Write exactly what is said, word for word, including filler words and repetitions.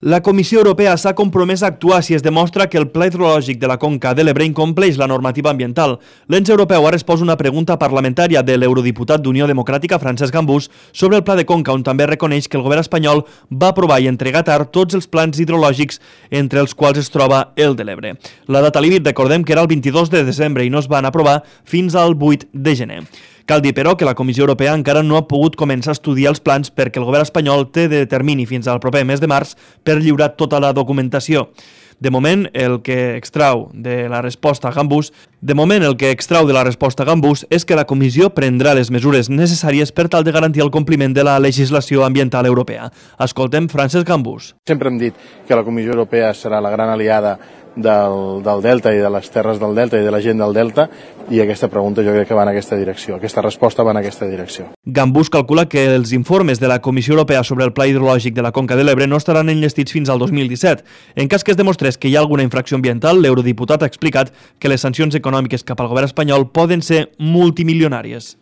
La Comissió Europea s'ha compromès a actuar si es demostra que el Pla Hidrològic de la Conca de l'Ebre incompleix la normativa ambiental. L'ens europeu ha respost una pregunta parlamentària de l'eurodiputat d'Unió Democràtica Francesc Gambús sobre el Pla de Conca, on també reconeix que el govern espanyol va aprovar i entregar tard tots els plans hidrològics, entre els quals es troba el de l'Ebre. La data límit, recordem que era el vint-i-dos de desembre i no es van aprovar fins al vuit de gener. Cal dir, però, que la Comissió Europea encara no ha pogut començar a estudiar els plans perquè el govern espanyol té de termini fins al proper mes de març per lliurar tota la documentació. De moment, el que extrau de la resposta a Gambús, de moment el que extrau de la resposta a Gambús és que la Comissió prendrà les mesures necessàries per tal de garantir el compliment de la legislació ambiental europea. Escoltem Francesc Gambús. Sempre hem dit que la Comissió Europea serà la gran aliada del, del Delta i de les terres del Delta i de la gent del Delta, i aquesta pregunta jo crec que va en aquesta direcció, aquesta resposta va en aquesta direcció. Gambús calcula que els informes de la Comissió Europea sobre el Pla Hidrològic de la Conca de l'Ebre no estaran enllestits fins al dos mil disset. En cas que es demostrés que hi ha alguna infracció ambiental, l'eurodiputat ha explicat que les sancions econòmiques cap al govern espanyol poden ser multimilionàries.